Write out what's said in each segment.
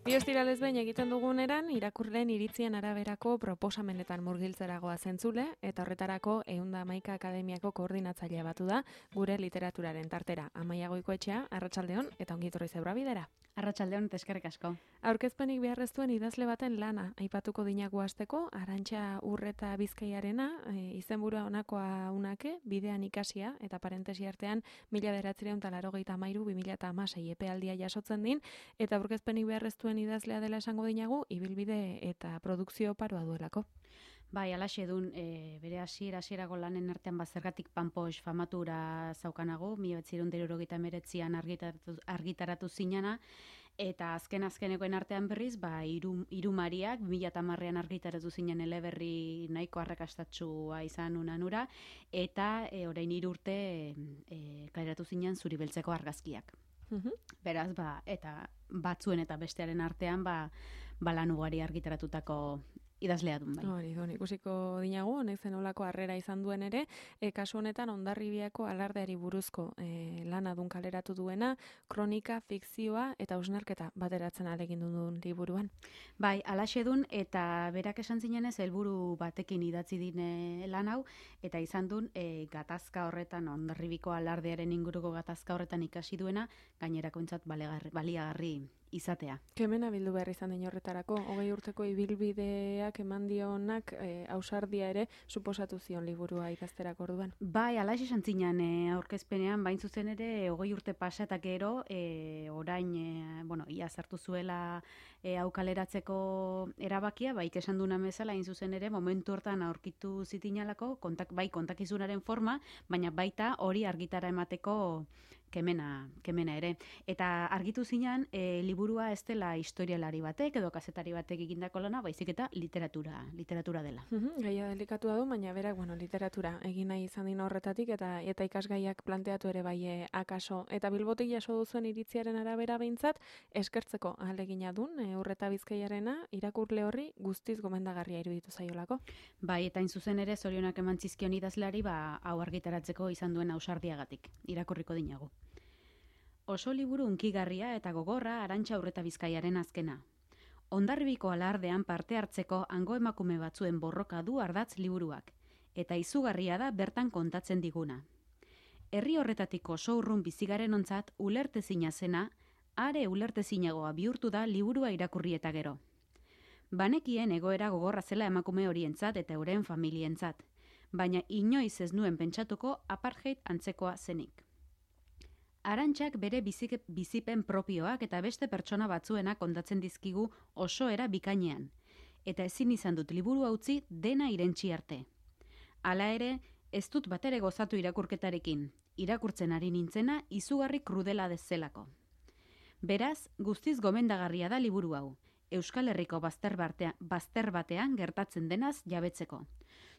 Bi ostiralez behin egiten duguneran, irakurleen iritzien araberako proposamenetan murgiltzeragoa zentzule, eta horretarako 111 Akademiako koordinatzailea batu da gure literaturaren tartera. Amaia Goikoetxea, arratsaldeon eta ongi etorri zeura bidera. Arratsaldeon eta eskerrik asko. Aurkezpenik beharreztuen idazle baten lana aipatuko dinagu hasteko, Arantxa Urreta Bizkaiarena, izenburua honakoa unake, bidean ikasia eta parentesi artean 1983-2016 epealdia jasotzen din, eta aurkezpenik beharreztuen idazlea dela esango dinagu, ibilbide eta produkzio paroa duelako. Bai, alaxe dun, bere hasierako lanen artean zergatik Panpox famatura zaukanago, 1979an argitaratu zinana, eta azkenekoen artean berriz, Irumariak 2010an argitaratu zinen eleberri nahiko arrakastatsua izan unanura, eta orain 3 urte kaleratu zinen Zuri beltzeko argazkiak. Beraz, eta batzuen eta bestearen artean, lan ugari argitaratutako idazlea dun bai. Hori, ikusiko dinagu, honek zenolako harrera izan duen ere, kasu honetan Hondarribiako alardeari buruzko lana dun kaleratu duena, kronika, fikzioa eta hausnarketa bateratzen alegin duen liburuan. Bai, alaxe dun, eta berak esan zinenez, helburu batekin idatzi dine lan hau, eta izan dun, gatazka horretan, Hondarribiko alardearen inguruko gatazka horretan ikasi duena, gainerakoentzat baliagarri izatea. Kemena bildu behar izan den horretarako, 20 urteko ibilbideak eman dionak ausardia ere suposatu zion liburua idazterako orduan. Bai, alaxe esan zinan aurkezpenean, bain zuzen ere 20 urte pasa eta gero, orain, ia sartu zuela hau kaleratzeko erabakia, esan duna bezala, hain zuzen ere, momentu hortan aurkitu zitinalako, kontakizunaren forma, baina baita hori argitara emateko kemena ere. Eta argitu zinan, liburua ez dela historialari batek edo kazetari batek egindako lana, baizik eta literatura dela. Gaia delikatua du, baina berak, literatura egin nahi izan dina horretatik eta ikasgaiak planteatu ere bai akaso. Eta Bilbotik jaso duzuen iritziaren arabera behintzat, eskertzeko ahalegina dun, Urreta Bizkaiarena, irakurle horri guztiz gomendagarria iruditu zaiolako. Bai, eta hain zuzen ere, zorionak eman zizkion idazleari, hau argitaratzeko izan duen ausardiagatik, irakurriko dinagu. Oso liburu hunkigarria eta gogorra Arantxa Urreta Bizkaiaren azkena. Hondarribiko alardean parte hartzeko hango emakume batzuen borroka du ardatz liburuak, eta izugarria da bertan kontatzen diguna. Herri horretatik oso urrun bizigaren ontzat ulertezina zena, are ulertezinagoa bihurtu da liburua irakurri eta gero. Banekien egoera gogorra zela emakume horientzat eta euren familientzat, baina inoiz ez nuen pentsatuko apartheid antzekoa zenik. Arantxak bere bizipen propioak eta beste pertsona batzuena kontatzen dizkigu oso era bikainean, eta ezin izan dut liburu utzi dena irentsi arte. Hala ere, ez dut batere gozatu irakurketarekin, irakurtzen ari nintzena izugarri krudela dezelako. Beraz, guztiz gomendagarria da liburu hau, Euskal Herriko bazter batean gertatzen denaz jabetzeko.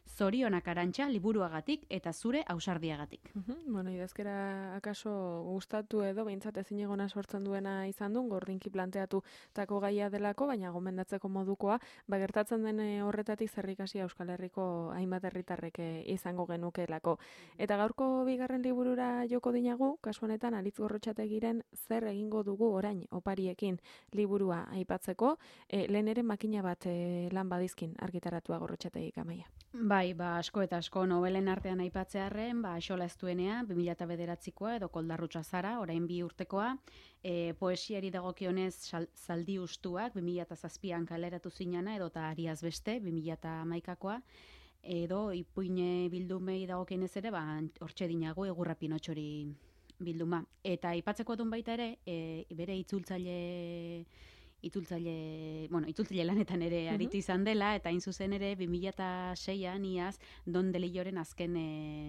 Zorionak Arantxa liburuagatik eta zure ausardiagatik. Idazkera akaso gustatu edo behintzat ezinegona sortzen duena izan duen, gordinki planteatu tako gaia delako, baina gomendatzeko modukoa, gertatzen den horretatik zerrikasi Euskal Herriko hainbat herritarrek izango genukeelako. Eta gaurko bigarren liburura joko dinagu, kasu honetan Aritz Gorrotxategiren zer egingo dugu orain opariekin liburua aipatzeko, lehen ere makina bat lan badizkin argitaratua Gorrotxategik, Amaia. Bai, asko eta asko nobelen artean aipatzearren, Xola Eztuenea, 2009koa edo Koldarrutxa Zara, orain 2 urtekoa, poesiari dagokionez Zaldi Ustuak, 2007an kaleratu zinana, edo eta Ariaz Beste, 2011koa, edo Ipuine bildumei dagokionez ere, hortxe dinago Egurra Pinotxori bilduma. Eta aipatzeko duen baita ere, bere itzultzaile lanetan ere aritu izan dela, eta hain zuzen ere 2006an iaz Don Delilloren azken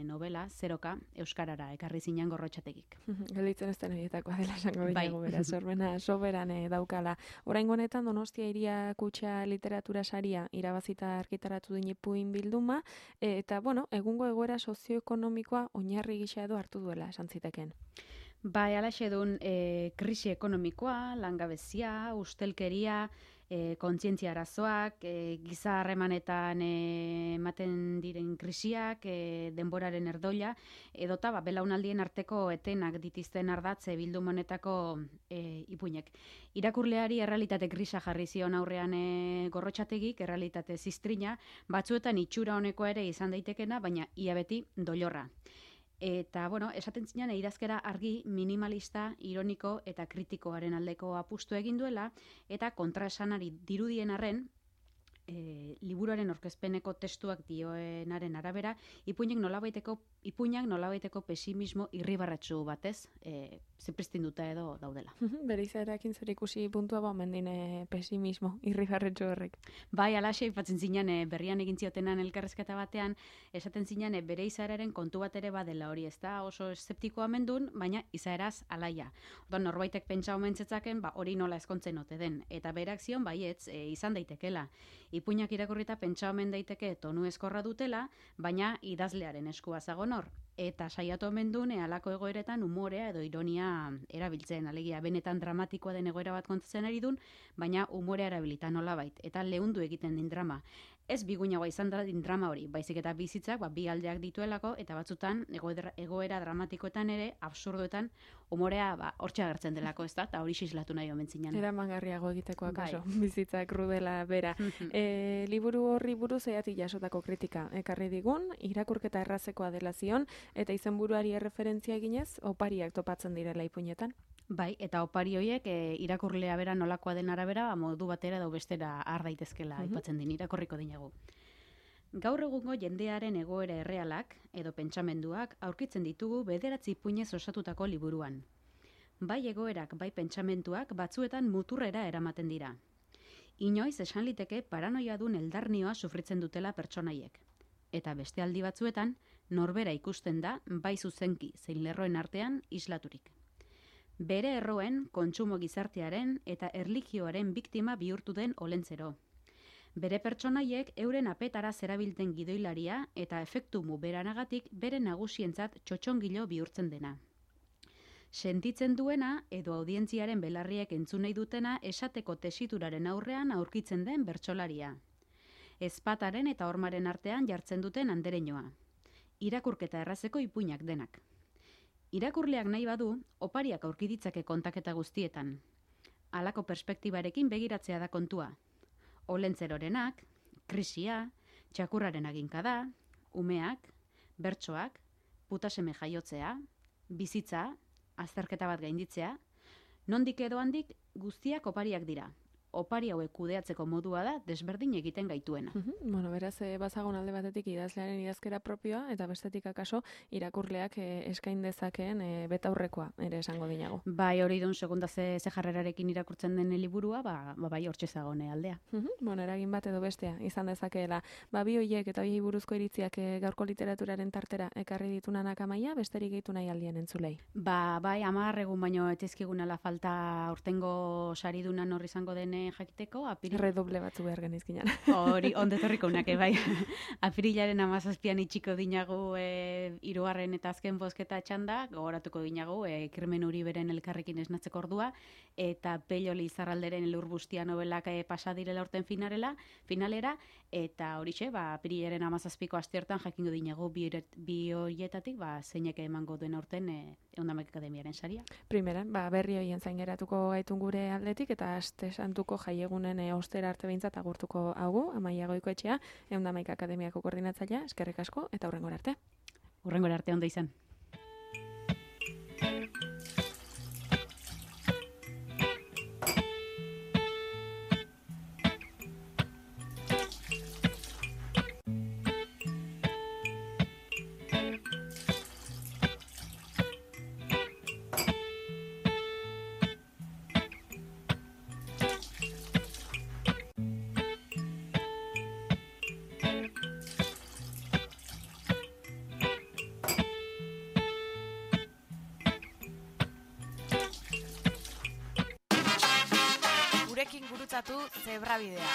novela, Zeroka, euskarara ekarri zinan Gorrotxategik. Gelditzen ez den horietakoa dela esango dinago, bera, sorbena soberan daukala. Oraingo honetan Donostia Hiria Kutxa literatura saria irabazita argitaratu din Ipuin bilduma, eta, egungo egoera sozioekonomikoa oinarri gisa edo hartu duela esan ziteken. Bai, alaxe dun krisi ekonomikoa, langabezia, ustelkeria, kontzientzia arazoak, giza harremanetan ematen diren krisiak, denboraren erdoila, edota belaunaldien arteko etenak ditizten ardatze bilduma honetako ipuinek. Irakurleari errealitate grisa jarri zion aurrean Gorrotxategik, errealitate ziztrina, batzuetan itxura honekoa ere izan daitekena, baina ia beti doilorra. Eta, esaten zinean idazkera argi, minimalista, ironiko eta kritikoaren aldeko apustu egin duela, eta kontraesanari dirudien arren, liburuaren aurkezpeneko testuak dioenaren arabera, ipuinak nolabaiteko pesimismo irribarratsu batez, zipristinduta edo daudela. Bere izaerakin zer ikusi puntua mendin pesimismo irribarratsu horrek. Bai, alaxe, ipatzen zinean berrian egin ziotenan elkarrezketa batean, esaten zinean bere izaeraren kontu bat ere badela hori, ez da oso eszeptikoa mendun, baina izaeraz alaia. Norbaitek pentsa omentzetzaken, hori nola ezkontzen ote den, eta berak zion baietz izan daitekela. Ipuinak irakurrita pentsa omen daiteke tonu eskorra dutela, baina idazlearen eskua zagon hor. Eta saiatu omen duen halako egoeretan umorea edo ironia erabiltzen, alegia benetan dramatikoa den egoera bat kontatzen ari dun, baina umorea erabilita nolabait, eta leundu egiten din drama. Ez biguinagoa izan da din drama hori, baizik eta bizitzak bi aldeak dituelako, eta batzutan egoera dramatikoetan ere, absurdoetan, umorea hortxe agertzen delako, ez da, eta hori islatu nahi omen zinan. Eramangarriago egiteko akaso, bizitzak rudela bera. Liburu horri buruz eatik jasotako kritika ekarri digun, irakurketa errazekoa dela zion, eta izenburuari erreferentzia eginez, opariak topatzen direla ipuinetan. Bai, eta opari horiek irakurlea bera nolakoa den arabera, modu batera edo bestera har daitezkela aipatzen din irakurriko dinagu. Gaur egungo jendearen egoera errealak edo pentsamenduak aurkitzen ditugu 9 ipuinez osatutako liburuan. Bai egoerak, bai pentsamentuak batzuetan muturrera eramaten dira. Inoiz esan liteke paranoiadun eldarnioa sufritzen dutela pertsonaiek. Eta beste aldi batzuetan, norbera ikusten da, bai zuzenki zein lerroen artean islaturik. Bere erroen, kontsumo gizartearen eta erlijioaren biktima bihurtu den olentzero. Bere pertsonaiek euren apetara zerabilten gidoilaria eta efektu muberanagatik bere nagusientzat txotxongilo bihurtzen dena. Sentitzen duena edo audientziaren belarriek entzun nahi dutena esateko tesituraren aurrean aurkitzen den bertsolaria. Ezpataren eta hormaren artean jartzen duten andereñoa. Irakurketa errazeko ipuinak denak. Irakurleak nahi badu, opariak aurki ditzake kontaketa guztietan. Halako perspektibarekin begiratzea da kontua. Olentzerorenak, krisia, txakurraren aginkada, umeak, bertsoak, putaseme jaiotzea, bizitza, azterketa bat gainditzea, nondik edo handik guztiak opariak dira. Opari hauek kudeatzeko modua da desberdin egiten gaituena. Beraz, bazagon alde batetik idazlearen idazkera propioa, eta bestetik akaso irakurleak eskain dezakeen betaurrekoa ere esango dinago. Bai, hori dun segunda ze jarrerarekin irakurtzen den liburua, bai hortxe zagone aldea. Eragin bat edo bestea izan dezakeela. Bi hoiek eta bi buruzko iritziak gaurko literaturaren tartera ekarri ditunanak Amaia, besterik gehitu nahi aldien entzulei. Bai, 10 egun baino etizkigunala falta urtengo saridunan hor izango den jakiteko, redoble batzu behar genizkinan. Hori, ondetorriko unake, bai. Apirilaren 17an itxiko dinagu 3. eta azken bozketa txanda, gogoratuko dinagu, Kirmen Uriberen elkarrekin esnatzeko ordua, eta Pello Lizarralderen Elur Bustia nobelak pasa direla urten finalera, eta horixe, apirilaren 17ko asteartan jakingo dinagu bi horietatik, zeinek emango duen urten Eundamek Akademiaren saria. Primera, berri horien zain geratuko gaitun gure aldetik, eta aste santuko jaiegunen ostera arte behintzat agurtuko haugu, Amaia Goikoetxea, Eundamek Akademiako koordinatzailea, eskerrik asko, eta hurrengora arte. Hurrengora arte ondo izan. Gurekin gurutzatu Zebrabidea.